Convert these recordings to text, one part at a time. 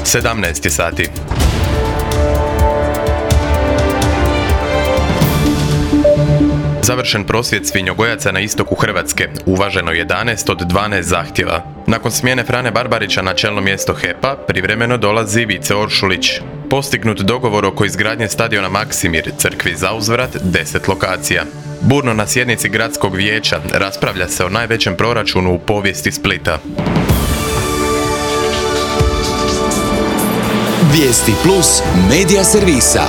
17 sati. Završen prosvjed svinjogojaca na istoku Hrvatske. Uvaženo 11 od 12 zahtjeva. Nakon smjene Frane Barbarića na čelno mjesto HEP-a, privremeno dolazi Vice Oršulić. Postignut dogovor oko izgradnje stadiona Maksimir, crkvi zauzvrat, 10 lokacija. Burno na sjednici gradskog vijeća raspravlja se o najvećem proračunu u povijesti Splita. Vijesti plus medija servisa.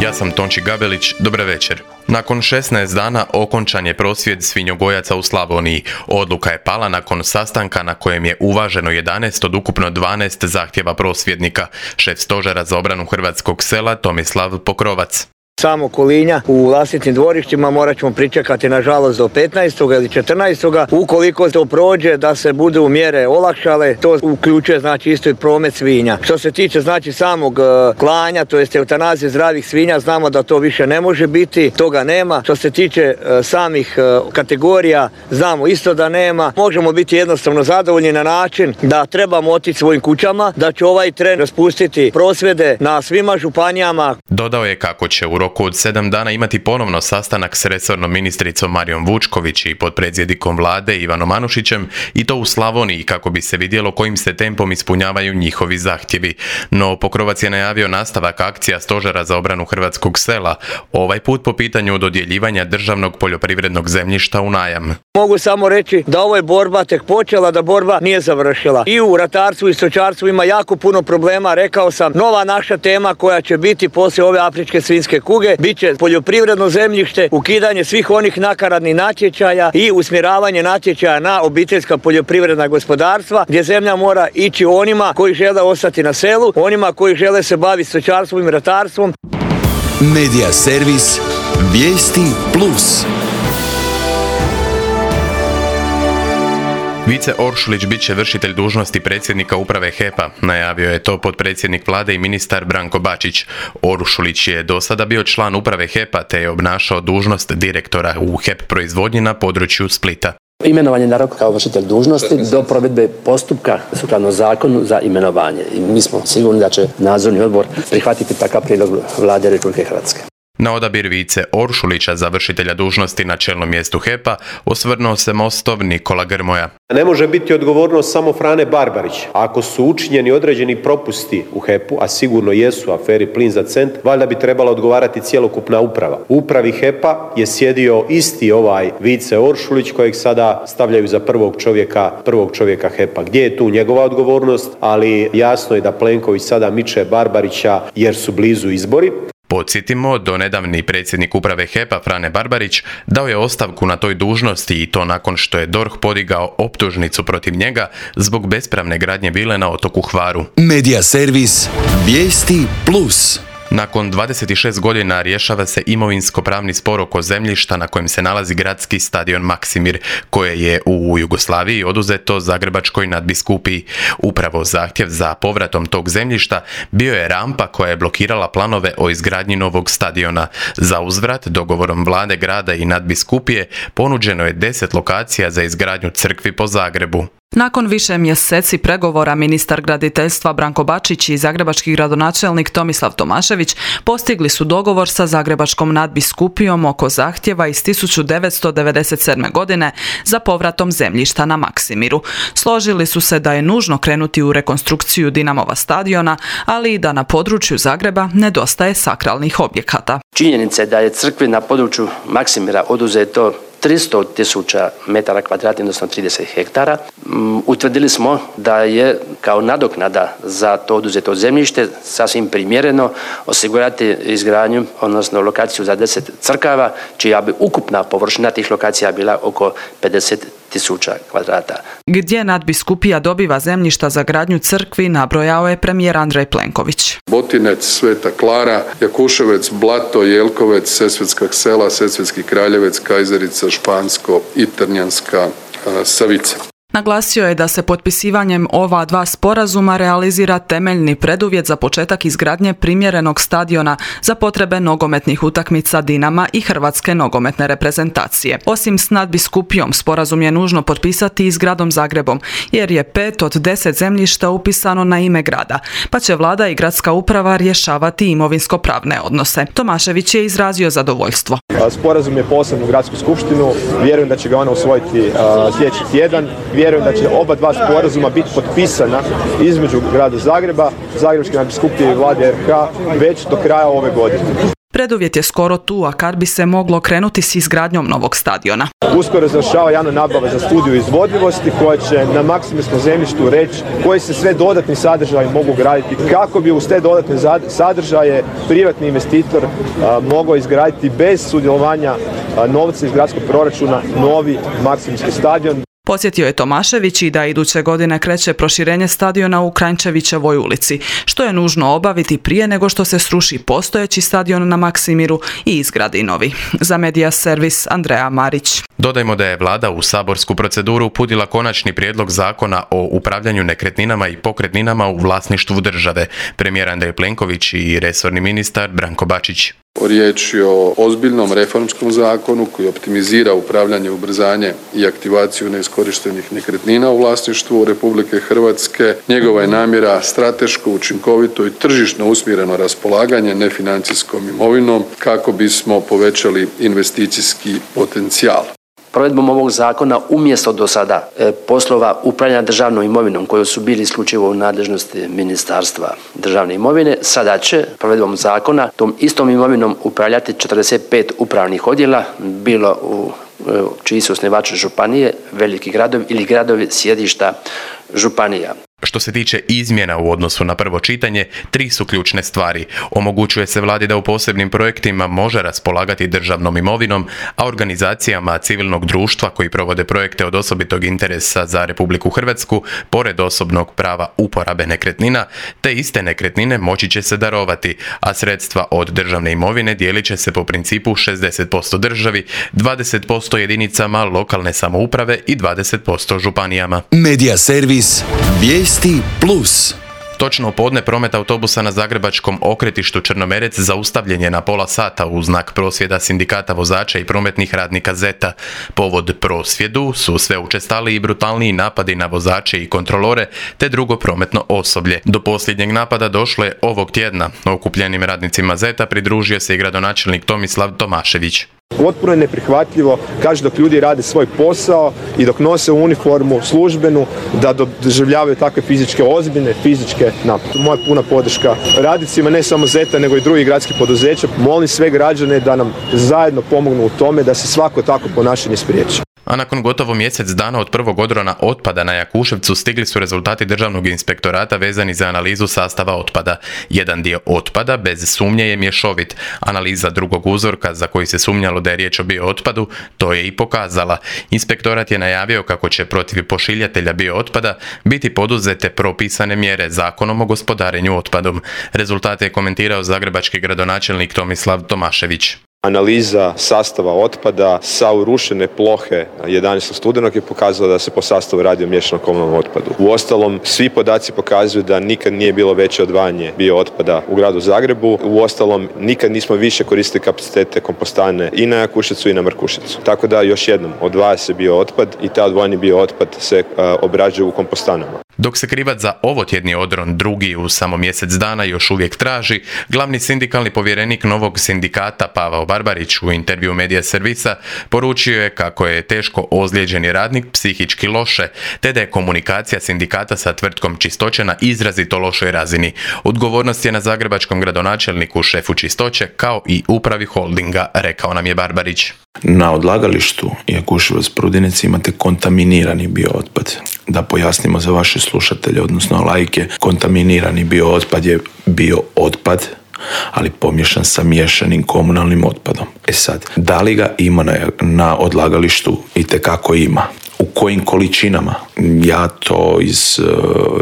Ja sam Tonči Gabelić, dobar večer. Nakon 16 dana okončan je prosvjed svinjogojaca u Slavoniji. Odluka je pala nakon sastanka na kojem je uvaženo 11 od ukupno 12 zahtjeva prosvjednika. Šef stožera za obranu hrvatskog sela Tomislav Pokrovac. Samo Kolinja u vlastitim dvorištima morat ćemo pričekati nažalost do 15. ili 14. Ukoliko to prođe da se budu mjere olakšale, to uključuje znači isto i promet svinja. Što se tiče znači samog klanja, to jest eutanazije zdravih svinja, znamo da to više ne može biti, toga nema. Što se tiče samih kategorija, znamo isto da nema. Možemo biti jednostavno zadovoljni na način da trebamo otići svojim kućama, da će ovaj tren raspustiti prosvjede na svima županijama. Dodao je kako će u roku od 7 dana imati ponovno sastanak s resornom ministricom Marijom Vučković i potpredsjednikom vlade Ivanom Anušićem, i to u Slavoniji, kako bi se vidjelo kojim se tempom ispunjavaju njihovi zahtjevi. No Pokrovac je najavio nastavak akcija stožera za obranu hrvatskog sela, ovaj put po pitanju dodjeljivanja državnog poljoprivrednog zemljišta u najam. Mogu samo reći da ovo je borba tek počela, da borba nije završila. I u ratarstvu i stočarstvu ima jako puno problema, rekao sam, nova naša tema koja će biti poslije ove afričke svinjske kuge, bit će poljoprivredno zemljište, ukidanje svih onih nakaradnih natječaja i usmjeravanje natječaja na obiteljska poljoprivredna gospodarstva, gdje zemlja mora ići onima koji žele ostati na selu, onima koji žele se baviti stočarstvom i ratarstvom. Medija servis Vijesti plus. Vice Oršulić bit će vršitelj dužnosti predsjednika uprave HEP-a, najavio je to potpredsjednik vlade i ministar Branko Bačić. Oršulić je do sada bio član uprave HEP-a te je obnašao dužnost direktora u HEP proizvodnji na području Splita. Imenovanje na rok kao vršitelj dužnosti do provedbe postupka sukladno zakonu za imenovanje. I mi smo sigurni da će nadzorni odbor prihvatiti takav prijedlog Vlade Republike Hrvatske. Na odabir Vice Oršulića za vršitelja dužnosti na čelnom mjestu HEP-a osvrnuo se Mostov Nikola Grmoja. Ne može biti odgovornost samo Frane Barbarić. Ako su učinjeni određeni propusti u HEP-u, a sigurno jesu, aferi Plin za cent, valjda bi trebala odgovarati cjelokupna uprava. U upravi HEP-a je sjedio isti ovaj Vice Oršulić kojeg sada stavljaju za prvog čovjeka HEP-a. Gdje je tu njegova odgovornost? Ali jasno je da Plenković sada miče Barbarića jer su blizu izbori. Podsjetimo, donedavni predsjednik uprave HEP-a Frane Barbarić dao je ostavku na toj dužnosti i to nakon što je DORH podigao optužnicu protiv njega zbog bespravne gradnje vile na otoku Hvaru. Medija servis Vijesti plus. Nakon 26 godina rješava se imovinsko-pravni spor oko zemljišta na kojem se nalazi gradski stadion Maksimir, koje je u Jugoslaviji oduzeto Zagrebačkoj nadbiskupiji. Upravo zahtjev za povratom tog zemljišta bio je rampa koja je blokirala planove o izgradnji novog stadiona. Za uzvrat, dogovorom vlade grada i nadbiskupije, ponuđeno je 10 lokacija za izgradnju crkvi po Zagrebu. Nakon više mjeseci pregovora, ministar graditeljstva Branko Bačić i zagrebački gradonačelnik Tomislav Tomašević postigli su dogovor sa zagrebačkom nadbiskupijom oko zahtjeva iz 1997. godine za povratom zemljišta na Maksimiru. Složili su se da je nužno krenuti u rekonstrukciju Dinamova stadiona, ali i da na području Zagreba nedostaje sakralnih objekata. Činjenica je da je crkvi na području Maksimira oduzeto 300.000 metara kvadratnih, odnosno 30 hektara. Utvrdili smo da je kao nadoknada za to oduzeto zemljište sasvim primjereno osigurati izgradnju, odnosno lokaciju za 10 crkava, čija bi ukupna površina tih lokacija bila oko 50.000 kvadrata. Gdje nadbiskupija dobiva zemljišta za gradnju crkvi, nabrojao je premijer Andrej Plenković. Botinec, Sveta Klara, Jakuševec, Blato, Jelkovec, Sesvetska sela, Sesvetski Kraljevec, Kajzerica, Špansko i Trnjanska Savica. Naglasio je da se potpisivanjem ova dva sporazuma realizira temeljni preduvjet za početak izgradnje primjerenog stadiona za potrebe nogometnih utakmica Dinama i Hrvatske nogometne reprezentacije. Osim s Nadbiskupijom, sporazum je nužno potpisati i s gradom Zagrebom, jer je 5 od 10 zemljišta upisano na ime grada, pa će vlada i gradska uprava rješavati imovinsko-pravne odnose. Tomašević je izrazio zadovoljstvo. Sporazum je poslan u gradsku skupštinu, vjerujem da će ga ona usvojiti sljedeći tjedan. Vjerujem da će oba dva sporazuma biti potpisana između grada Zagreba, Zagrebačke nadbiskupije i vlade RH već do kraja ove godine. Preduvjet je skoro tu, a kad bi se moglo krenuti s izgradnjom novog stadiona. Uskoro završava javna nabava za studiju izvodljivosti koja će na maksimirskom zemljištu reći koji se sve dodatni sadržaji mogu graditi, kako bi uz te dodatne sadržaje privatni investitor mogao izgraditi bez sudjelovanja novca iz gradskog proračuna novi maksimirski stadion. Podsjetio je Tomašević i da iduće godine kreće proširenje stadiona u Kranjčevićevoj ulici, što je nužno obaviti prije nego što se sruši postojeći stadion na Maksimiru i izgradi novi. Za Medija servis Andreja Marić. Dodajmo da je vlada u saborsku proceduru uputila konačni prijedlog zakona o upravljanju nekretninama i pokretninama u vlasništvu države. Premijer Andrej Plenković i resorni ministar Branko Bačić. Riječ je o ozbiljnom reformskom zakonu koji optimizira upravljanje, ubrzanje i aktivaciju neiskorištenih nekretnina u vlasništvu Republike Hrvatske. Njegova je namjera strateško, učinkovito i tržišno usmjereno raspolaganje nefinancijskom imovinom kako bismo povećali investicijski potencijal. Provedbom ovog zakona umjesto do sada poslova upravljanja državnom imovinom koji su bili isključivo u nadležnosti Ministarstva državne imovine, sada će provedbom zakona tom istom imovinom upravljati 45 upravnih odjela, bilo u čiji su osnivači županije, veliki gradovi ili gradovi sjedišta županija. Što se tiče izmjena u odnosu na prvo čitanje, 3 su ključne stvari. Omogućuje se vladi da u posebnim projektima može raspolagati državnom imovinom, a organizacijama civilnog društva koji provode projekte od osobitog interesa za Republiku Hrvatsku, pored osobnog prava uporabe nekretnina, te iste nekretnine moći će se darovati, a sredstva od državne imovine dijelit će se po principu 60% državi, 20% jedinicama lokalne samouprave i 20% županijama. Medija servis Vijesti Plus. Točno u podne promet autobusa na zagrebačkom okretištu Črnomerec zaustavljen je na pola sata u znak prosvjeda sindikata vozača i prometnih radnika ZET-a. Povod prosvjedu su sve učestaliji i brutalniji napadi na vozače i kontrolore te drugo prometno osoblje. Do posljednjeg napada došlo je ovog tjedna. Okupljenim radnicima ZET-a pridružio se i gradonačelnik Tomislav Tomašević. Potpuno je neprihvatljivo, kaže, dok ljudi rade svoj posao i dok nose uniformu službenu, da doživljavaju takve ozbiljne fizičke napade. Moja puna podrška radnicima, ne samo ZET-a, nego i drugih gradskih poduzeća. Molim sve građane da nam zajedno pomognu u tome da se svako takvo ponašanje spriječi. A nakon gotovo mjesec dana od prvog odrona otpada na Jakuševcu stigli su rezultati Državnog inspektorata vezani za analizu sastava otpada. Jedan dio otpada bez sumnje je mješovit. Analiza drugog uzorka za koji se sumnjalo da je riječ o biootpadu to je i pokazala. Inspektorat je najavio kako će protiv pošiljatelja biootpada biti poduzete propisane mjere Zakonom o gospodarenju otpadom. Rezultate je komentirao zagrebački gradonačelnik Tomislav Tomašević. Analiza sastava otpada sa urušene plohe 11. studenog je pokazala da se po sastavu radi o miješanom komunalnom otpadu. Uostalom, svi podaci pokazuju da nikad nije bilo veće odvajanje biootpada u gradu Zagrebu. Uostalom, nikad nismo više koristili kapacitete kompostane i na Jakuševcu i na Markuševcu. Tako da, još jednom, odvaja se biootpad i taj odvojeni biootpad se obrađuje u kompostanama. Dok se krivac za ovotjedni odron, drugi u samo mjesec dana, još uvijek traži, glavni sindikalni povjerenik novog sindikata Pavao Barbarić u intervju Medija servisa poručio je kako je teško ozlijeđeni radnik psihički loše, te da je komunikacija sindikata sa tvrtkom Čistoće na izrazito lošoj razini. Odgovornost je na zagrebačkom gradonačelniku, šefu Čistoće, kao i upravi holdinga, rekao nam je Barbarić. Na odlagalištu Jakuševac Prudinec imate kontaminirani biootpad. Da pojasnimo za vaše slušatelje, odnosno laike, kontaminirani biootpad je biootpad, ali pomiješan sa miješanim komunalnim otpadom. Sad, da li ga ima na odlagalištu? Itekako ima. U kojim količinama? Ja to iz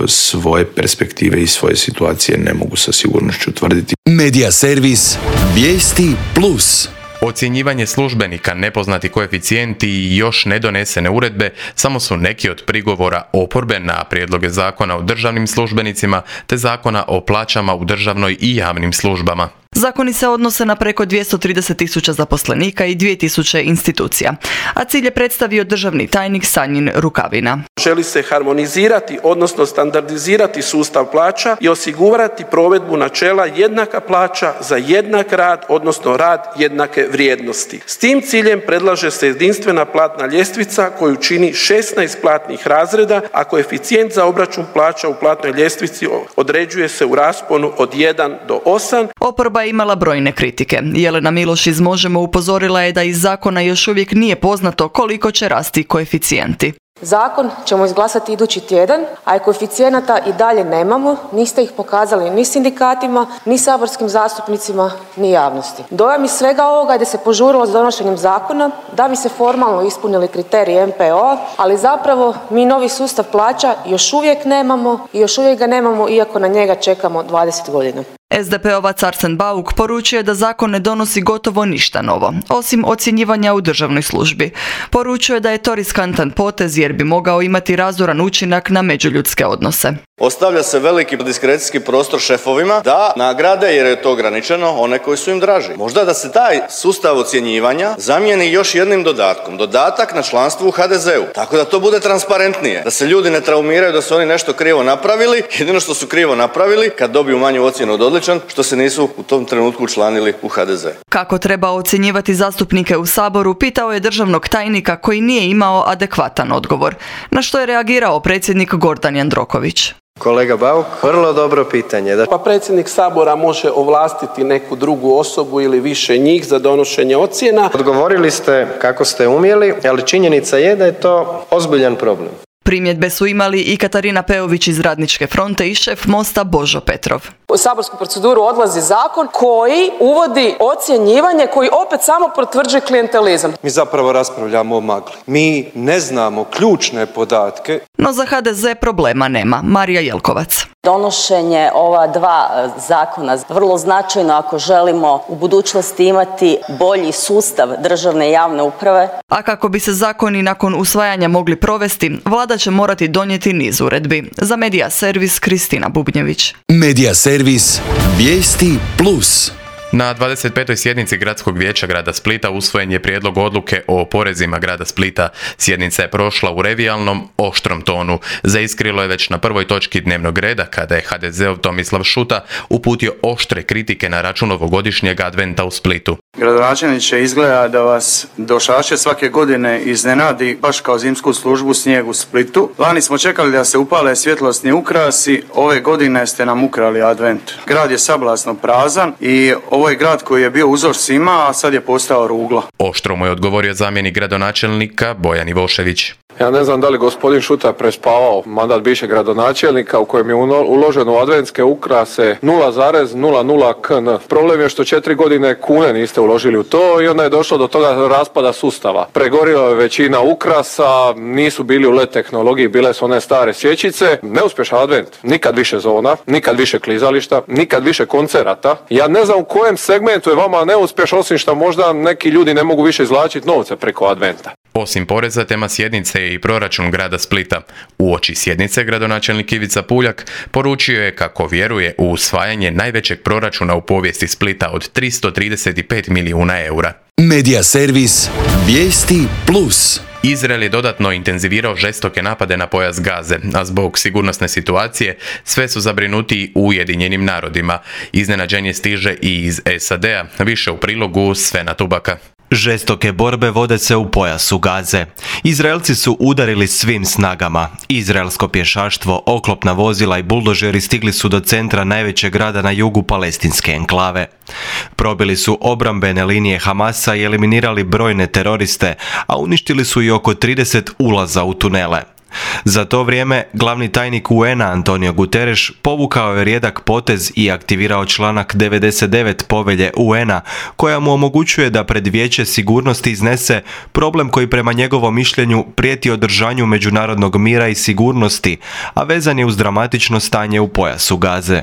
svoje perspektive i svoje situacije ne mogu sa sigurnošću tvrditi. Medija servis Vijesti Plus. Ocjenjivanje službenika, nepoznati koeficijenti i još nedonesene uredbe samo su neki od prigovora oporbe na prijedloge zakona o državnim službenicima te zakona o plaćama u državnoj i javnim službama. Zakoni se odnose na preko 230.000 zaposlenika i 2.000 institucija, a cilj je predstavio državni tajnik Sanjin Rukavina. Želi se harmonizirati, odnosno standardizirati sustav plaća i osigurati provedbu načela jednaka plaća za jednak rad, odnosno rad jednake vrijednosti. S tim ciljem predlaže se jedinstvena platna ljestvica koju čini 16 platnih razreda, a koeficijent za obračun plaća u platnoj ljestvici određuje se u rasponu od 1 do 8. Oporba je imala brojne kritike. Jelena Miloš iz Možemo upozorila je da iz zakona još uvijek nije poznato koliko će rasti koeficijenti. Zakon ćemo izglasati idući tjedan, a koeficijenata i dalje nemamo, niste ih pokazali ni sindikatima, ni saborskim zastupnicima, ni javnosti. Dojam iz svega ovoga je da se požurilo s donošenjem zakona, da bi se formalno ispunili kriteriji MPO-a, ali zapravo mi novi sustav plaća još uvijek nemamo i još uvijek ga nemamo iako na njega čekamo 20 godina. SDP-ovac Arsen Bauk poručuje da zakon ne donosi gotovo ništa novo, osim ocjenjivanja u državnoj službi. Poručuje da je to riskantan potez jer bi mogao imati razoran učinak na međuljudske odnose. Ostavlja se veliki diskrecijski prostor šefovima da nagrade, jer je to ograničeno, one koji su im draži. Možda da se taj sustav ocjenjivanja zamijeni još jednim dodatkom. Dodatak na članstvo u HDZ-u. Tako da to bude transparentnije. Da se ljudi ne traumiraju da su oni nešto krivo napravili. Jedino što su krivo napravili, kad dobiju manju ocjenu od odličan, što se nisu u tom trenutku učlanili u HDZ. Kako treba ocjenjivati zastupnike u Saboru, pitao je državnog tajnika koji nije imao adekvatan odgovor. Na što je reagirao predsjednik Gordan Jandroković. Kolega Bauk, vrlo dobro pitanje. Pa predsjednik Sabora može ovlastiti neku drugu osobu ili više njih za donošenje ocjena. Odgovorili ste kako ste umjeli, ali činjenica je da je to ozbiljan problem. Primjedbe su imali i Katarina Peović iz Radničke fronte i šef Mosta Božo Petrov. U saborsku proceduru odlazi zakon koji uvodi ocjenjivanje koji opet samo potvrđuje klijentelizam. Mi zapravo raspravljamo o magli. Mi ne znamo ključne podatke. No za HDZ problema nema. Marija Jelkovac. Donošenje ova dva zakona vrlo značajno ako želimo u budućnosti imati bolji sustav državne i javne uprave. A kako bi se zakoni nakon usvajanja mogli provesti, vlada će morati donijeti niz uredbi. Za Medija servis Kristina Bubnjević. Medija servis Vijesti Plus. Na 25. sjednici Gradskog vijeća grada Splita usvojen je prijedlog odluke o porezima grada Splita. Sjednica je prošla u revijalnom, oštrom tonu. Zaiskrilo je već na prvoj točki dnevnog reda kada je HDZ-ov Tomislav Šuta uputio oštre kritike na račun ovogodišnjeg adventa u Splitu. Gradonačelniče, izgleda da vas došaše svake godine iznenadi baš kao zimsku službu snijeg u Splitu. Lani smo čekali da se upale svjetlosni ukrasi, ove godine ste nam ukrali advent. Grad je sablasno prazan i ovo je grad koji je bio uzor svima, a sad je postao ruglo. Oštro mu je odgovorio zamjenik gradonačelnika Bojan Ivošević. Ja ne znam da li gospodin Šuta prespavao mandat bivšeg gradonačelnika u kojem je uloženo u adventske ukrase 0,00 kn. Problem je što 4 godine kune niste uložili u to i onda je došlo do toga raspada sustava. Pregorila je većina ukrasa, nisu bili u LED tehnologiji, bile su one stare svječice. Neuspješan advent. Nikad više zona, nikad više klizališta, nikad više koncerata. Ja ne znam u kojem segmentu je vama neuspješ, osim što možda neki ljudi ne mogu više izvlačiti novce preko adventa. Osim poreza, tema sjednice je i proračun grada Splita. Uoči sjednice gradonačelnik Ivica Puljak poručio je kako vjeruje u usvajanje najvećeg proračuna u povijesti Splita od 335 milijuna eura. Medija servis Vijesti Plus. Izrael je dodatno intenzivirao žestoke napade na pojas Gaze, a zbog sigurnosne situacije sve su zabrinuti u Ujedinjenim narodima. Iznenađenje stiže i iz SAD-a, više u prilogu Svena Tubaka. Žestoke borbe vode se u pojasu Gaze. Izraelci su udarili svim snagama. Izraelsko pješaštvo, oklopna vozila i buldožeri stigli su do centra najvećeg grada na jugu palestinske enklave. Probili su obrambene linije Hamasa i eliminirali brojne teroriste, a uništili su i oko 30 ulaza u tunele. Za to vrijeme, glavni tajnik UN-a Antonio Guterres povukao je rijedak potez i aktivirao članak 99 povelje UN-a koja mu omogućuje da pred Vijeće sigurnosti iznese problem koji prema njegovom mišljenju prijeti održanju međunarodnog mira i sigurnosti, a vezan je uz dramatično stanje u pojasu Gaze.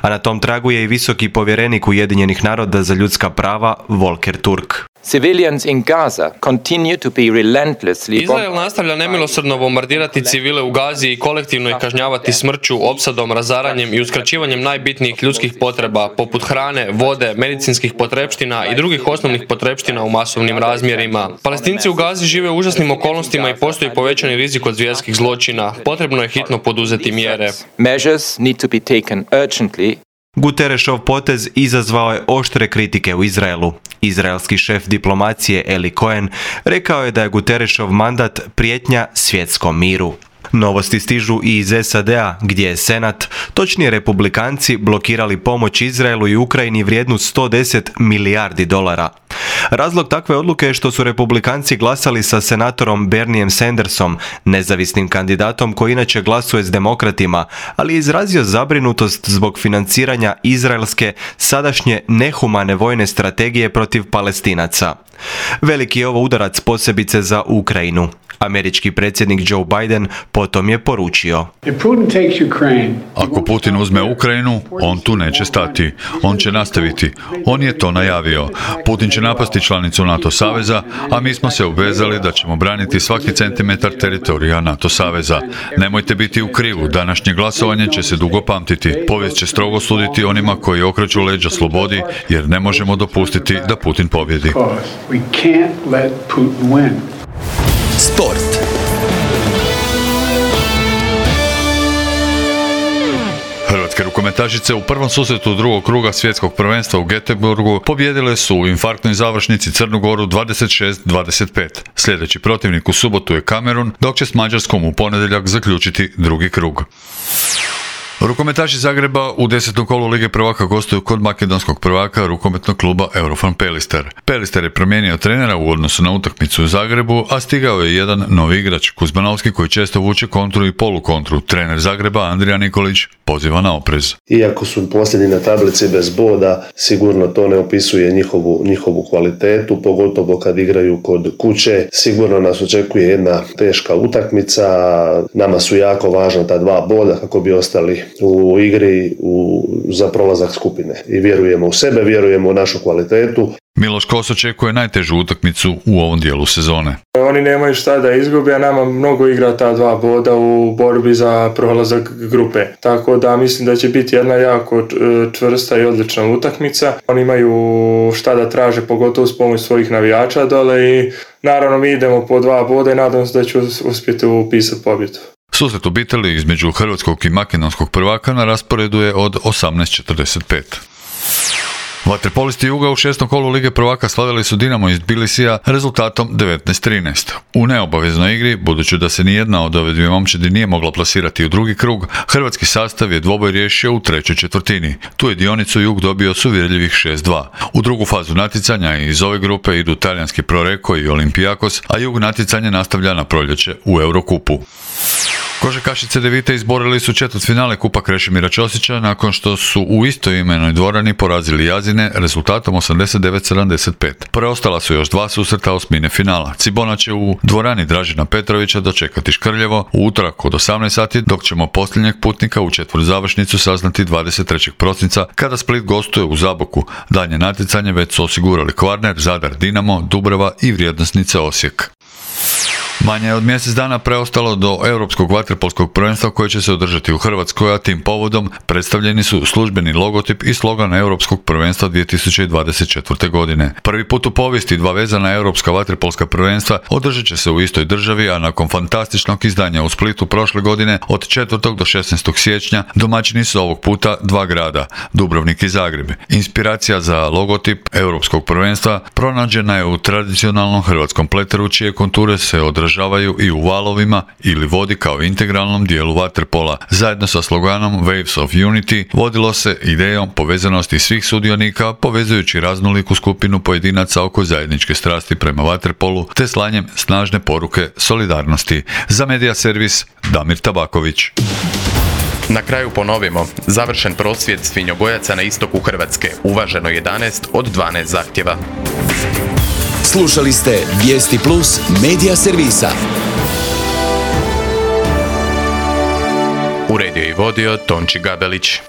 A na tom tragu je i visoki povjerenik Ujedinjenih naroda za ljudska prava Volker Turk. Civilians in Gaza continue to be relentlessly Izrael nastavlja nemilosrdno bombardirati civile u Gazi i kolektivno ih kažnjavati smrću, opsadom, razaranjem i uskraćivanjem najbitnijih ljudskih potreba, poput hrane, vode, medicinskih potrepština i drugih osnovnih potrepština u masovnim razmjerima. Palestinci u Gazi žive u užasnim okolnostima i postoji povećani rizik od zvjerskih zločina. Potrebno je hitno poduzeti mjere. Measures need to be taken urgently. Guterresov potez izazvao je oštre kritike u Izraelu. Izraelski šef diplomacije Eli Cohen rekao je da je Guterresov mandat prijetnja svjetskom miru. Novosti stižu i iz SAD-a, gdje je Senat, točnije Republikanci, blokirali pomoć Izraelu i Ukrajini vrijednu $110 milijardi. Razlog takve odluke je što su Republikanci glasali sa senatorom Berniejem Sandersom, nezavisnim kandidatom koji inače glasuje s demokratima, ali je izrazio zabrinutost zbog financiranja izraelske sadašnje nehumane vojne strategije protiv Palestinaca. Veliki je ovo udarac posebice za Ukrajinu. Američki predsjednik Joe Biden potom je poručio: Ako Putin uzme Ukrajinu, on tu neće stati. On će nastaviti. On je to najavio. Putin će napasti članicu NATO saveza, a mi smo se obvezali da ćemo braniti svaki centimetar teritorija NATO saveza. Nemojte biti u krivu. Današnje glasovanje će se dugo pamtiti. Povijest će strogo suditi onima koji okreću leđa slobodi, jer ne možemo dopustiti da Putin pobjedi. Sport. Hrvatske rukometašice u prvom susretu drugog kruga svjetskog prvenstva u Göteborgu pobijedile su u infarktnoj završnici Crnu Goru 26-25. Sljedeći protivnik u subotu je Kamerun, dok će s Mađarskom u ponedjeljak zaključiti drugi krug. Rukometaši Zagreba u 10. kolu Lige prvaka gostuju kod makedonskog prvaka rukometnog kluba Eurofan Pelister. Pelister je promijenio trenera u odnosu na utakmicu u Zagrebu, a stigao je jedan novi igrač, Kuzmanovski, koji često vuče kontru i polukontru. Trener Zagreba Andrija Nikolić poziva na oprez. Iako su posljednji na tablici bez boda, sigurno to ne opisuje njihovu kvalitetu, pogotovo kad igraju kod kuće. Sigurno nas očekuje jedna teška utakmica, nama su jako važna ta 2 boda kako bi ostali u igri za prolazak skupine. I vjerujemo u sebe, vjerujemo u našu kvalitetu. Miloš Kos očekuje najtežu utakmicu u ovom dijelu sezone. Oni nemaju šta da izgube, a nama mnogo igra ta 2 boda u borbi za prolazak grupe. Tako da mislim da će biti jedna jako čvrsta i odlična utakmica. Oni imaju šta da traže, pogotovo s pomoć svojih navijača dole i naravno mi idemo po 2 boda i nadam se da će uspjeti upisati pobjedu. Susret obitelji između hrvatskog i makedonskog prvaka na rasporedu je od 18:45. Vaterpolisti Juga u 6. kolu Lige prvaka slavili su Dinamo iz Tbilisija rezultatom 19-13. U neobaveznoj igri, budući da se nijedna od ove dvije momčadi nije mogla plasirati u drugi krug, hrvatski sastav je dvoboj riješio u 3. četvrtini. Tu je dionicu Jug dobio s uvjerljivih 6-2. U drugu fazu natjecanja iz ove grupe idu talijanski Proreko i Olympiakos, a Jug natjecanje nastavlja na proljeće u Eurokupu. Košarkašice Devite izborili su četvrtfinale Kupa Krešimira Ćosića nakon što su u istoimenoj dvorani porazili Jazine rezultatom 89-75. Preostala su još 2 susreta osmine finala. Cibona će u dvorani Dražena Petrovića dočekati Škrljevo u utorak od 18 sati, dok ćemo posljednjeg putnika u četvrtzavršnicu saznati 23. prosinca kada Split gostuje u Zaboku. Daljnje natjecanje već su osigurali Kvarner, Zadar, Dinamo, Dubrava i Vrijednosnice Osijek. Manje je od mjesec dana preostalo do Europskog vaterpolskog prvenstva koje će se održati u Hrvatskoj, a tim povodom predstavljeni su službeni logotip i slogan Europskog prvenstva 2024. godine. Prvi put u povijesti 2 vezana Europska vaterpolska prvenstva održat će se u istoj državi, a nakon fantastičnog izdanja u Splitu prošle godine od 4. do 16. siječnja domaćini su ovog puta 2 grada, Dubrovnik i Zagreb. Inspiracija za logotip Europskog prvenstva pronađena je u tradicionalnom hrvatskom pleteru, čije konture se odražavaju i u valovima ili vodi kao integralnom dijelu vaterpola. Zajedno sa sloganom Waves of Unity vodilo se idejom povezanosti svih sudionika, povezujući raznoliku skupinu pojedinaca oko zajedničke strasti prema vaterpolu te slanjem snažne poruke solidarnosti. Za Medija servis Damir Tabaković. Na kraju ponovimo, završen prosvjed svinjogojaca na istoku Hrvatske, uvaženo 11 od 12 zahtjeva. Slušali ste Vijesti Plus Medija servisa. Uredio i vodio Tonči Gabelić.